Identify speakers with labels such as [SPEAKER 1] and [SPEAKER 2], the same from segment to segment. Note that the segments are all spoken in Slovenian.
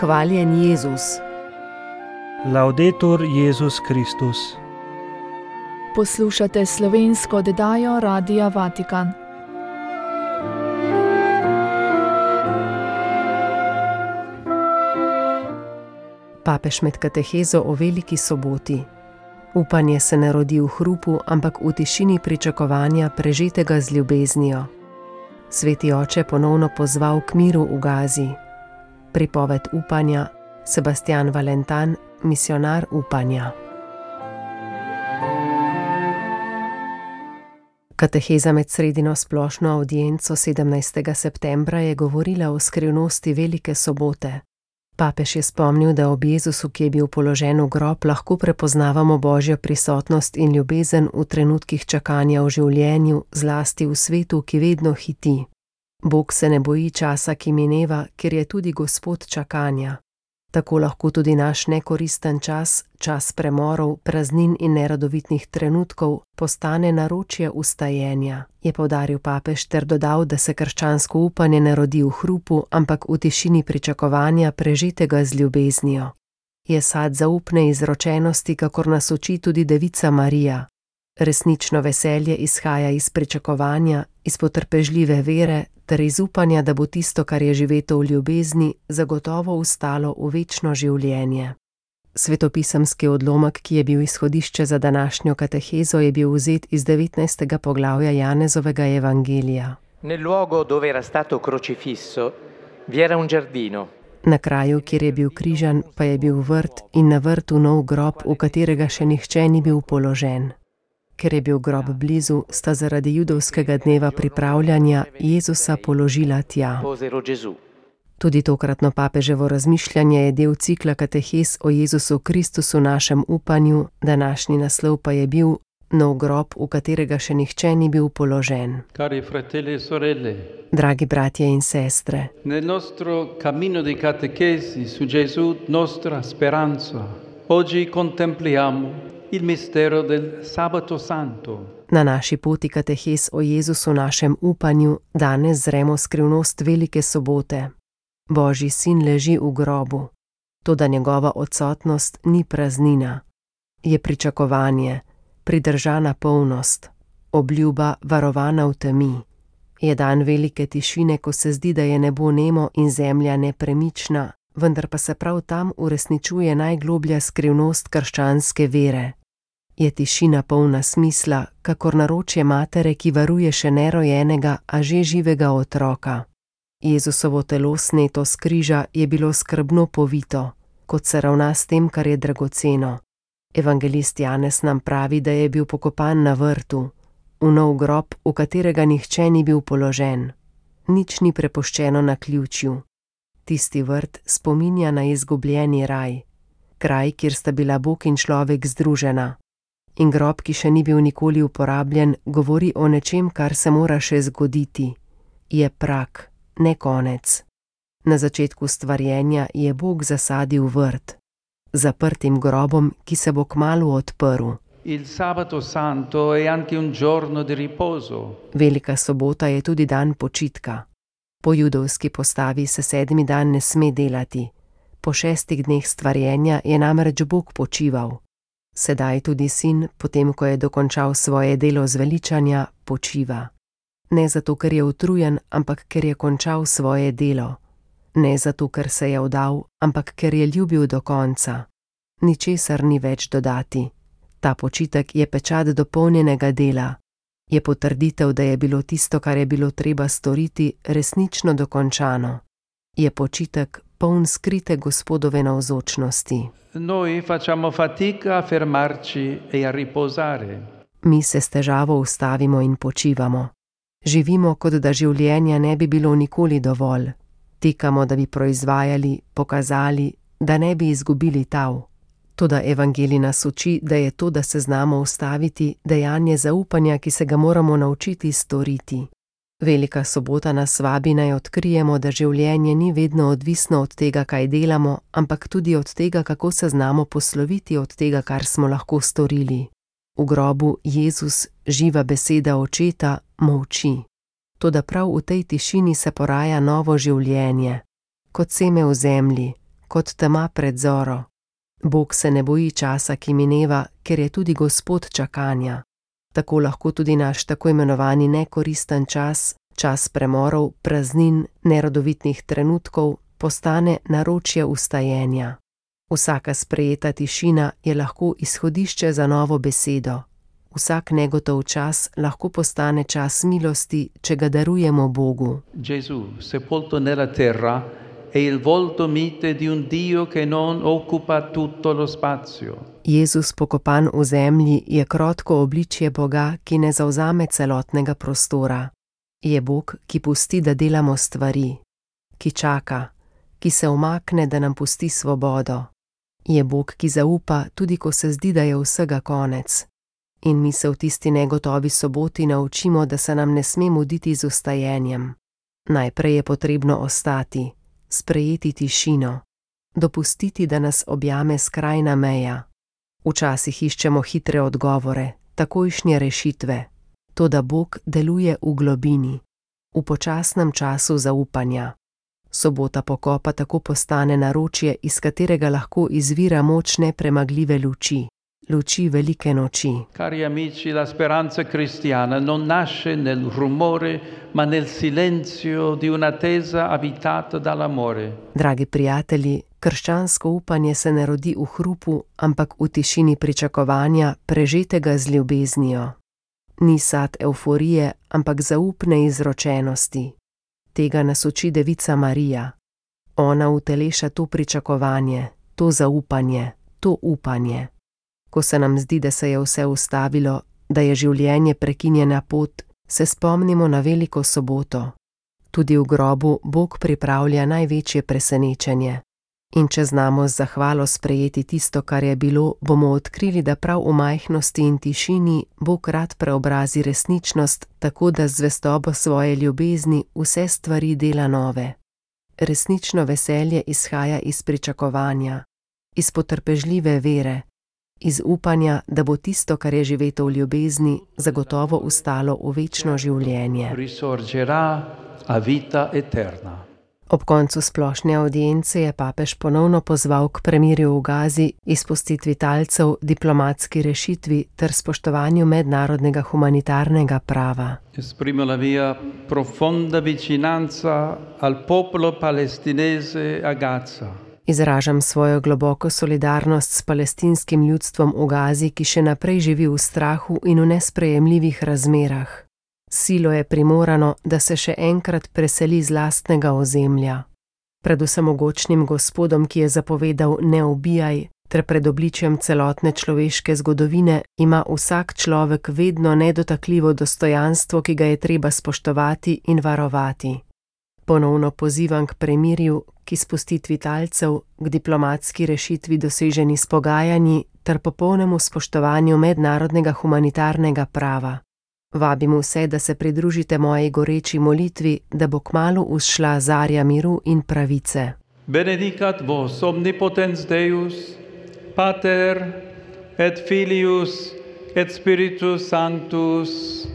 [SPEAKER 1] Hvaljen Jezus.
[SPEAKER 2] Laudetur Jezus Kristus.
[SPEAKER 3] Poslušate slovensko oddajo Radia Vatikan.
[SPEAKER 1] Papež med katehezo o veliki soboti. Upanje se ne rodi v hrupu, ampak v tišini pričakovanja, prežetega z ljubeznijo. Sveti oče ponovno pozval k miru v Gazi. Pripoved upanja, Sebastian Valentan, misionar upanja. Kateheza med sredino splošno avdienco 17. septembra je govorila o skrivnosti velike sobote. Papež je spomnil, da ob Jezusu, ki je bil položen v grob, lahko prepoznavamo Božjo prisotnost in ljubezen v trenutkih čakanja v življenju, zlasti v svetu, ki vedno hiti. Bog se ne boji časa, ki mineva, ker je tudi Gospod čakanja. Tako lahko tudi naš nekoristen čas, čas premorov, praznin in neradovitnih trenutkov, postane naročje ustajenja, je poudaril papež ter dodal, da se krščansko upanje ne rodi v hrupu, ampak v tišini pričakovanja, prežetega z ljubeznijo. Je sad zaupne izročenosti, kakor nas uči tudi Devica Marija. Resnično veselje izhaja iz pričakovanja, iz potrpežljive vere ter iz upanja, da bo tisto, kar je živeto v ljubezni, zagotovo ustalo v večno življenje. Svetopisemski odlomek, ki je bil izhodišče za današnjo katehezo, je bil vzet iz 19. poglavja Janezovega evangelija.
[SPEAKER 4] Nel luogo dove era stato crocifisso vi era un giardino.
[SPEAKER 1] Na kraju, kjer je bil križan, pa je bil vrt in na vrtu nov grob, v katerega še nihče ni bil položen. Ker je bil grob blizu, sta zaradi judovskega dneva pripravljanja Jezusa položila tja. Tudi tokratno papeževo razmišljanje je del cikla katehez o Jezusu Kristusu našem upanju, današnji naslov pa je bil Nov grob, v katerega še nihče ni bil položen.
[SPEAKER 5] Cari fratelli e sorelle,
[SPEAKER 1] dragi bratje in sestre,
[SPEAKER 5] nel nostro cammino di catechesi su Gesù nostra speranza, oggi contempliamo il mistero del Sabato Santo.
[SPEAKER 1] Na naši poti katehes o Jezusu našem upanju danes zremo skrivnost velike sobote. Božji sin leži v grobu, toda njegova odsotnost ni praznina. Je pričakovanje, pridržana polnost, obljuba varovana v temi. Je dan velike tišine, ko se zdi, da je nebo nemo in zemlja nepremična, vendar pa se prav tam uresničuje najgloblja skrivnost krščanske vere. Je tišina polna smisla, kakor naročje matere, ki varuje še nerojenega, a že živega otroka. Jezusovo telo sneto s križa je bilo skrbno povito, kot se ravna s tem, kar je dragoceno. Evangelist Janez nam pravi, da je bil pokopan na vrtu, v nov grob, v katerega nihče ni bil položen. Nič ni prepuščeno naključju. Tisti vrt spominja na izgubljeni raj, kraj, kjer sta bila Bog in človek združena. In grob, ki še ni bil nikoli uporabljen, govori o nečem, kar se mora še zgoditi. Je prak, ne konec. Na začetku stvarjenja je Bog zasadil vrt, zaprtim grobom, ki se bo kmalu odprl.
[SPEAKER 5] Il Sabato Santo è anche un giorno di riposo.
[SPEAKER 1] Velika sobota je tudi dan počitka. Po judovski postavi se 7. dan ne sme delati. Po 6 dneh stvarjenja je namreč Bog počival. Sedaj tudi sin, potem ko je dokončal svoje delo zveličanja, počiva. Ne zato, ker je utrujen, ampak ker je končal svoje delo. Ne zato, ker se je vdal, ampak ker je ljubil do konca. Ničesar ni več dodati. Ta počitek je pečat dopolnjenega dela. Je potrditev, da je bilo tisto, kar je bilo treba storiti, resnično dokončano. Je počitek poln skrite Gospodove navzočnosti.
[SPEAKER 5] Noi facciamo fatica a fermarci e a riposare.
[SPEAKER 1] Mi se s težavo ustavimo in počivamo. Živimo, kot da življenja ne bi bilo nikoli dovolj. Tekamo, da bi proizvajali, pokazali, da ne bi izgubili tav. Toda evangelij nas uči, da je to, da se znamo ustaviti, dejanje zaupanja, ki se ga moramo naučiti storiti. Velika sobota nas vabi, naj odkrijemo, da življenje ni vedno odvisno od tega, kaj delamo, ampak tudi od tega, kako se znamo posloviti od tega, kar smo lahko storili. V grobu Jezus, živa beseda očeta, molči. Toda prav v tej tišini se poraja novo življenje. Kot seme v zemlji, kot tema pred zoro. Bog se ne boji časa, ki mineva, ker je tudi Gospod čakanja. Tako lahko tudi naš tako imenovani nekoristen čas, čas premorov, praznin, nerodovitnih trenutkov, postane naročje vstajenja. Vsaka sprejeta tišina je lahko izhodišče za novo besedo. Vsak negotov čas lahko postane čas milosti, če ga darujemo Bogu.
[SPEAKER 5] Gesù, sepolto nella terra, è il volto mite di un Dio che non occupa tutto lo spazio.
[SPEAKER 1] Jezus pokopan v zemlji je krotko obličje Boga, ki ne zavzame celotnega prostora. Je Bog, ki pusti, da delamo stvari, ki čaka, ki se umakne, da nam pusti svobodo. Je Bog, ki zaupa, tudi ko se zdi, da je vsega konec. In mi se v tisti negotovi soboti naučimo, da se nam ne sme muditi z vstajenjem. Najprej je potrebno ostati, sprejeti tišino, dopustiti, da nas objame skrajna meja. Včasih iščemo hitre odgovore, takojšnje rešitve. Toda Bog deluje v globini, v počasnem času zaupanja. Sobota pokopa tako postane naročje, iz katerega lahko izvira moč nepremagljive luči, luči velike noči.
[SPEAKER 5] Cari amici, la speranza cristiana non nasce nel rumore, ma nel silenzio di un'attesa abitata dall'amore.
[SPEAKER 1] Dragi prijatelji, krščansko upanje se ne rodi v hrupu, ampak v tišini pričakovanja, prežetega z ljubeznijo. Ni sad evforije, ampak zaupne izročenosti. Tega nas uči Devica Marija. Ona uteleša to pričakovanje, to zaupanje, to upanje. Ko se nam zdi, da se je vse ustavilo, da je življenje prekinjena pot, se spomnimo na veliko soboto. Tudi v grobu Bog pripravlja največje presenečenje. In če znamo z zahvalo sprejeti tisto, kar je bilo, bomo odkrili, da prav v majhnosti in tišini Bog rad preobrazi resničnost, tako da z zvestobo svoje ljubezni vse stvari dela nove. Resnično veselje izhaja iz pričakovanja, iz potrpežljive vere, iz upanja, da bo tisto, kar je živeto v ljubezni, zagotovo ustalo v večno življenje.
[SPEAKER 5] Risorgerà a vita eterna.
[SPEAKER 1] Ob koncu splošne avdience je papež ponovno pozval k premirju v Gazi, izpustitvi talcev, diplomatski rešitvi ter spoštovanju mednarodnega humanitarnega prava.
[SPEAKER 5] Esprimo la mia profonda vicinanza al popolo palestinese a Gaza.
[SPEAKER 1] Izražam svojo globoko solidarnost s palestinskim ljudstvom v Gazi, ki še naprej živi v strahu in v nesprejemljivih razmerah. Silo je primorano, da se še enkrat preseli z lastnega ozemlja. Pred vsemogočnim Gospodom, ki je zapovedal ne ubijaj, ter pred obličjem celotne človeške zgodovine, ima vsak človek vedno nedotakljivo dostojanstvo, ki ga je treba spoštovati in varovati. Ponovno pozivam k premirju, k izpustitvi talcev, k diplomatski rešitvi doseženi s pogajanji ter popolnemu spoštovanju mednarodnega humanitarnega prava. Vabim vse, da se pridružite moji goreči molitvi, da bo kmalu vzšla zarja miru in pravice.
[SPEAKER 5] Benedicat vos omnipotens Deus, Pater et Filius et Spiritus Sanctus.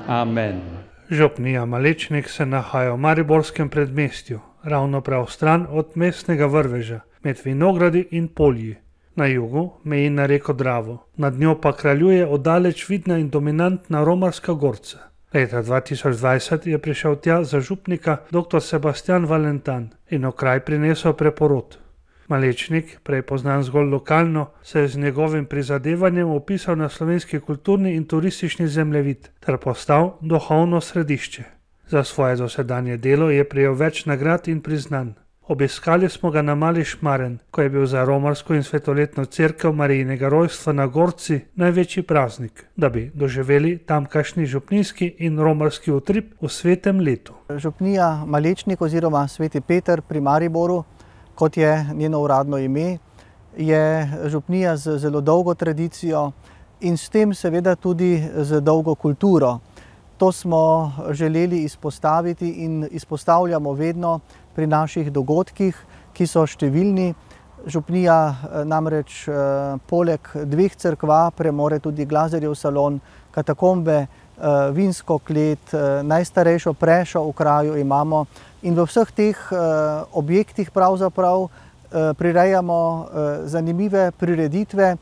[SPEAKER 5] Amen.
[SPEAKER 2] Župnija Malečnik se nahaja v mariborskem predmestju, ravno prav stran od mestnega vrveža, med vinogradi in polji. Na jugu meji na reko Dravo, nad njo pa kraljuje oddaleč vidna in dominantna romarska gorca. Leta 2020 je prišel tja za župnika dr. Sebastian Valentan in v kraj prinesel preporod. Malečnik, prej poznan zgolj lokalno, se je z njegovim prizadevanjem opisal na slovenski kulturni in turistični zemljevid ter postal duhovno središče. Za svoje dosedanje delo je prejel več nagrad in priznanj. Obiskali smo ga na Mali Šmaren, ko je bil za romarsko in svetoletno cerkev Marijinega rojstva na Gorci največji praznik, da bi doživeli tamkajšnji župnijski in romarski utrip v svetem letu.
[SPEAKER 6] Župnija Malečnik oziroma Sveti Peter pri Mariboru, kot je njeno uradno ime, je župnija z zelo dolgo tradicijo in s tem seveda tudi z dolgo kulturo. To smo želeli izpostaviti in izpostavljamo vedno pri naših dogodkih, ki so številni. Župnija namreč poleg dveh cerkva premore tudi Glazerjev salon, katakombe, vinsko klet, najstarejšo prešo v kraju imamo. In v vseh teh objektih pravzaprav prirejamo zanimive prireditve.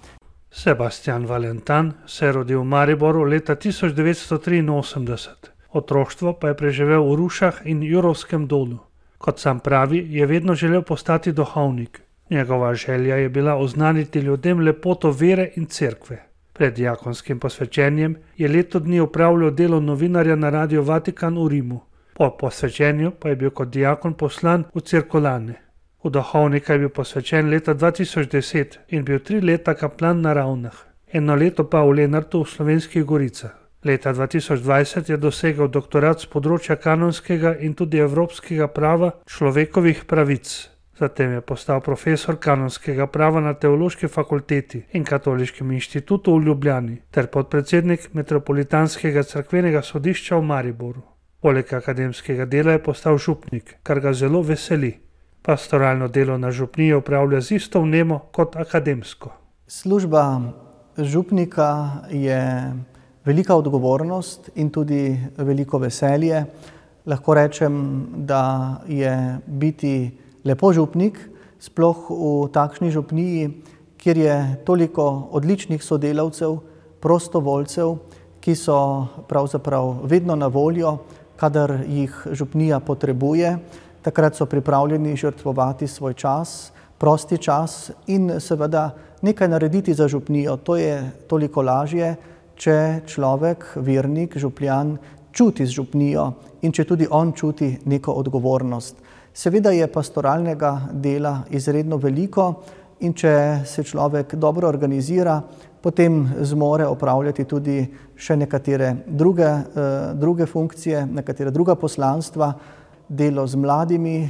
[SPEAKER 2] Sebastian Valentan se je rodil v Mariboru leta 1983. Otroštvo pa je preživel v Rušah in Jurovskem dolu. Kot sam pravi, je vedno želel postati duhovnik. Njegova želja je bila oznaniti ljudem lepoto vere in cerkve. Pred diakonskim posvečenjem je leto dni opravljal delo novinarja na Radiu Vatikan v Rimu. Po posvečenju pa je bil kot diakon poslan v Cirkulane. V duhovnika je bil posvečen leta 2010 in bil 3 leta kaplan na Ravnah, 1 leto pa v Lenartu v Slovenskih Goricah. Leta 2020 je dosegel doktorat z področja kanonskega in tudi evropskega prava človekovih pravic. Zatem je postal profesor kanonskega prava na Teološki fakulteti in Katoliškem inštitutu v Ljubljani ter podpredsednik Metropolitanskega cerkvenega sodišča v Mariboru. Poleg akademskega dela je postal župnik, kar ga zelo veseli. Pastoralno delo na župniji opravlja z isto vnemo kot akademsko.
[SPEAKER 6] Služba župnika je velika odgovornost in tudi veliko veselje. Lahko rečem, da je biti lepo župnik, sploh v takšni župniji, kjer je toliko odličnih sodelavcev, prostovoljcev, ki so pravzaprav vedno na voljo, kadar jih župnija potrebuje. Takrat so pripravljeni žrtvovati svoj čas, prosti čas in seveda nekaj narediti za župnijo. To je toliko lažje, če človek, vernik, župljan, čuti z župnijo in če tudi on čuti neko odgovornost. Seveda je pastoralnega dela izredno veliko in če se človek dobro organizira, potem zmore opravljati tudi še nekatere druge funkcije, nekatere druga poslanstva. Delo z mladimi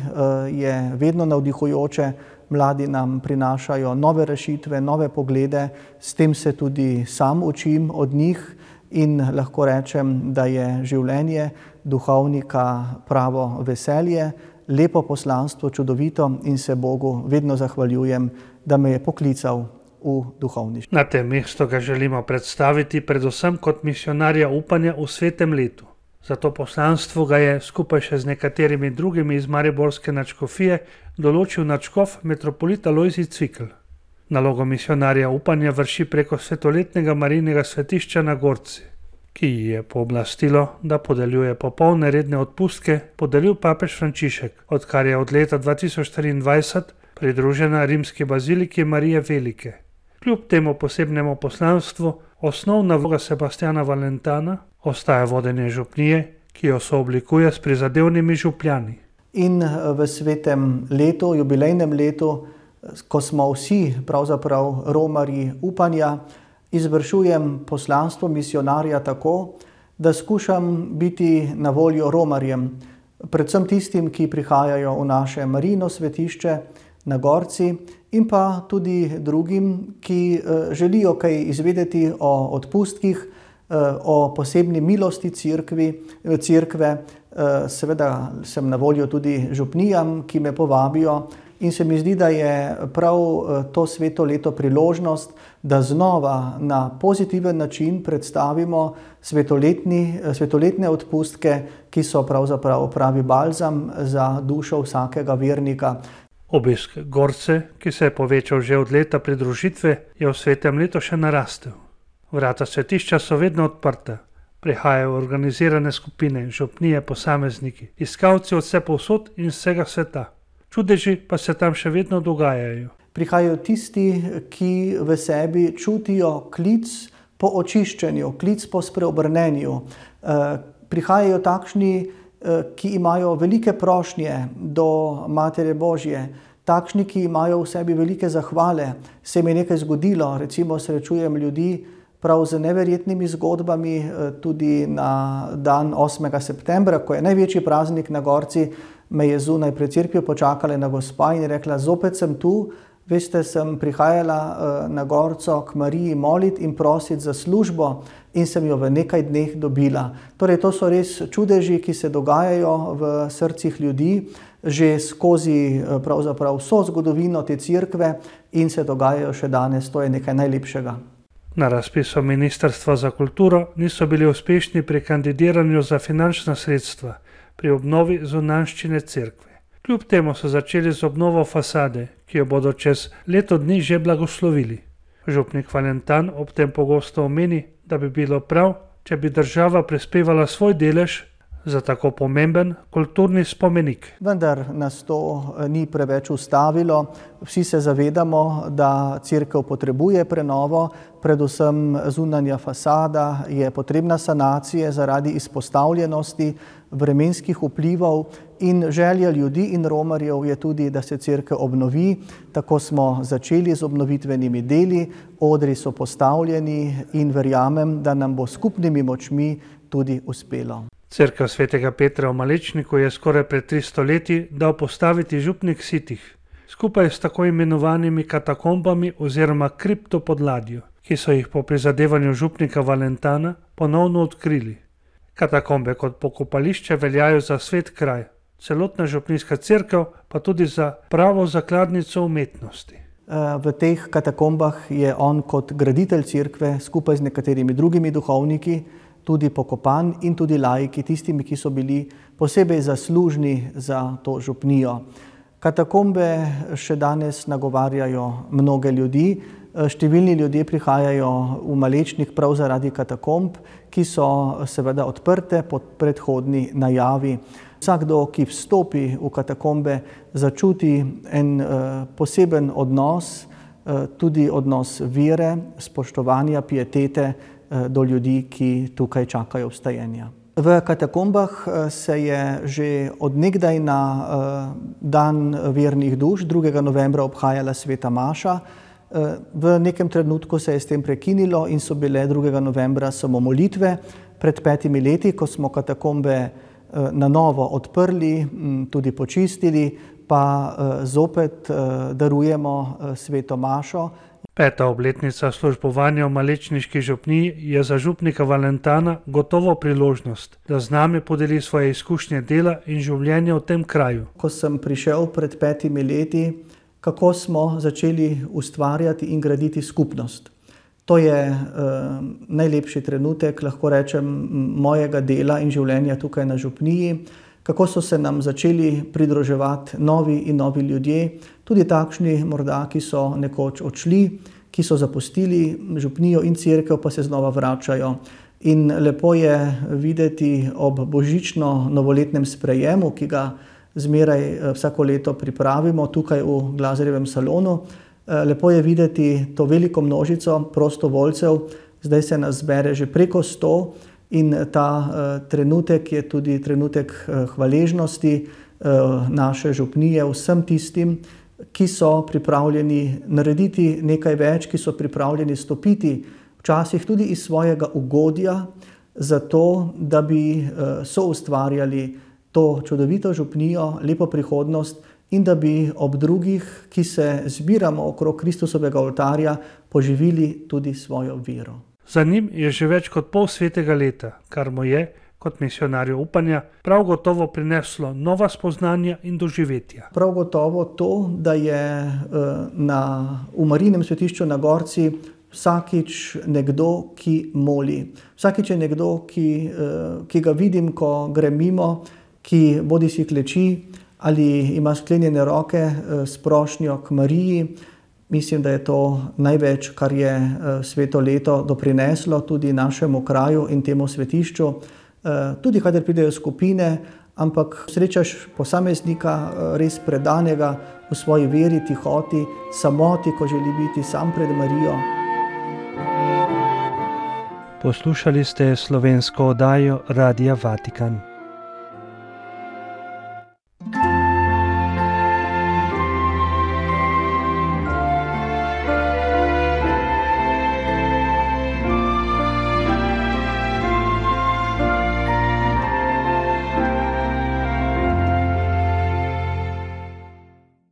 [SPEAKER 6] je vedno navdihujoče, mladi nam prinašajo nove rešitve, nove poglede, s tem se tudi sam učim od njih in lahko rečem, da je življenje duhovnika pravo veselje, lepo poslanstvo, čudovito in se Bogu vedno zahvaljujem, da me je poklical v duhovništvo.
[SPEAKER 2] Na tem mestu ga želimo predstaviti predvsem kot misionarja upanja v svetem letu. Za to poslanstvo ga je skupaj še z nekaterimi drugimi iz mariborske nadškofije določil nadškof metropolit Alojzij Cvikl. Nalogo misionarja upanja vrši preko svetoletnega Marijinega svetišča na Gorci, ki ji je pooblastilo, da podeljuje popolne redne odpustke, podelil papež Frančišek, odkar je od leta 2023 pridružena rimski baziliki Marije Velike. Kljub temu posebnemu poslanstvu, osnovna vloga Sebastiana Valentana ostaja vodenje župnije, ki jo sooblikuje s prizadevnimi župljani.
[SPEAKER 6] In v svetem letu, jubilejnem letu, ko smo vsi pravzaprav romarji upanja, izvršujem poslanstvo misionarja tako, da skušam biti na voljo romarjem, predvsem tistim, ki prihajajo v naše Marijino svetišče na Gorci in pa tudi drugim, ki želijo kaj izvedeti o odpustkih, o posebni milosti cerkve. Seveda sem na voljo tudi župnijam, ki me povabijo in se mi zdi, da je prav to sveto leto priložnost, da znova na pozitiven način predstavimo svetoletne odpustke, ki so pravzaprav pravi balzam za dušo vsakega vernika.
[SPEAKER 2] Obisk Gorce, ki se je povečal že od leta pridružitve, je v svetem letu še narastel. Vrata svetišča so vedno odprta. Prihajajo organizirane skupine, župnije, posamezniki, iskalci od vsepovsod in vsega sveta. Čudeži pa se tam še vedno dogajajo.
[SPEAKER 6] Prihajajo tisti, ki v sebi čutijo klic po očiščenju, klic po spreobrnenju. Prihajajo takšni, ki imajo velike prošnje do Matere Božje, takšni, ki imajo v sebi velike zahvale. Se mi je nekaj zgodilo, recimo srečujem ljudi prav z neverjetnimi zgodbami, tudi na dan 8. septembra, ko je največji praznik na Gorci, me je zunaj pred cerkvijo počakala ena gospa in je rekla, zopet sem tu, veste, sem prihajala na Gorco k Mariji moliti in prositi za službo in sem jo v nekaj dneh dobila. Torej, to so res čudeži, ki se dogajajo v srcih ljudi, že skozi pravzaprav vso zgodovino te cerkve in se dogajajo še danes, to je nekaj najlepšega.
[SPEAKER 2] Na razpisu Ministrstva za kulturo niso bili uspešni pri kandidiranju za finančna sredstva pri obnovi zunanjščine cerkve. Kljub temu so začeli z obnovo fasade, ki jo bodo čez leto dni že blagoslovili. Župnik Valentan ob tem pogosto omeni, da bi bilo prav, če bi država prispevala svoj delež za tako pomemben kulturni spomenik.
[SPEAKER 6] Vendar nas to ni preveč ustavilo. Vsi se zavedamo, da cerkev potrebuje prenovo, predvsem zunanja fasada je potrebna sanacije zaradi izpostavljenosti vremenskih vplivov in želja ljudi in romarjev je tudi, da se cerkev obnovi. Tako smo začeli z obnovitvenimi deli, odri so postavljeni in verjamem, da nam bo skupnimi močmi tudi uspelo.
[SPEAKER 2] Cerkev svetega Petra v Malečniku je skoraj pred 300 leti dal postaviti župnik Sitih, skupaj s tako imenovanimi katakombami oziroma kriptopodladjo, ki so jih po prizadevanju župnika Valentana ponovno odkrili. Katakombe kot pokopališče veljajo za svet kraj, celotna župnijska cerkev pa tudi za pravo zakladnico umetnosti.
[SPEAKER 6] V teh katakombah je on kot graditelj cerkve skupaj z nekaterimi drugimi duhovniki tudi pokopan in tudi laiki, tistimi, ki so bili posebej zaslužni za to župnijo. Katakombe še danes nagovarjajo mnoge ljudi. Številni ljudje prihajajo v Malečnik prav zaradi katakomb, ki so seveda odprte po predhodni najavi. Vsakdo, ki vstopi v katakombe, začuti en poseben odnos, tudi odnos vere, spoštovanja, pietete do ljudi, ki tukaj čakajo vstajenja. V katakombah se je že od nekdaj na dan vernih duš 2. novembra obhajala sveta maša. V nekem trenutku se je s tem prekinilo in so bile 2. novembra samo molitve. Pred 5 leti, ko smo katakombe na novo odprli, tudi počistili, pa zopet darujemo sveto mašo.
[SPEAKER 2] 5. obletnica službovanja v Malečniški župniji je za župnika Valentana gotovo priložnost, da z nami podeli svoje izkušnje dela in življenja v tem kraju.
[SPEAKER 6] Ko sem prišel pred 5 leti, kako smo začeli ustvarjati in graditi skupnost. To je najlepši trenutek, lahko rečem, mojega dela in življenja tukaj na župniji. Kako so se nam začeli pridruževati novi in novi ljudje, tudi takšni morda, ki so nekoč odšli, ki so zapustili župnijo in cerkev, pa se znova vračajo. In lepo je videti ob božično-novoletnem sprejemu, ki ga zmeraj vsako leto pripravimo tukaj v Glazerjevem salonu. Lepo je videti to veliko množico prostovoljcev, zdaj se nas zbere že preko 100. In ta trenutek je tudi trenutek hvaležnosti naše župnije vsem tistim, ki so pripravljeni narediti nekaj več, ki so pripravljeni stopiti včasih tudi iz svojega ugodja, zato da bi soustvarjali to čudovito župnijo, lepo prihodnost in da bi ob drugih, ki se zbiramo okrog Kristusovega oltarja, poživili tudi svojo vero.
[SPEAKER 2] Za njim je že več kot pol svetega leta, kar mu je, kot misionarju upanja, prav gotovo prineslo nova spoznanja in doživetja.
[SPEAKER 6] Prav gotovo to, da je v Marijinem svetišču na Gorci vsakič nekdo, ki moli. Vsakič je nekdo, ki ga vidim, ko grem mimo, ki bodisi kleči ali ima sklenjene roke s prošnjo k Mariji. Mislim, da je to največ, kar je sveto leto doprineslo tudi našemu kraju in temu svetišču. Tudi kadar pridejo skupine, ampak srečaš posameznika res predanega v svoji veri, tihoti, samoti, ko želi biti sam pred Marijo.
[SPEAKER 2] Poslušali ste slovensko oddajo Radia Vatikan.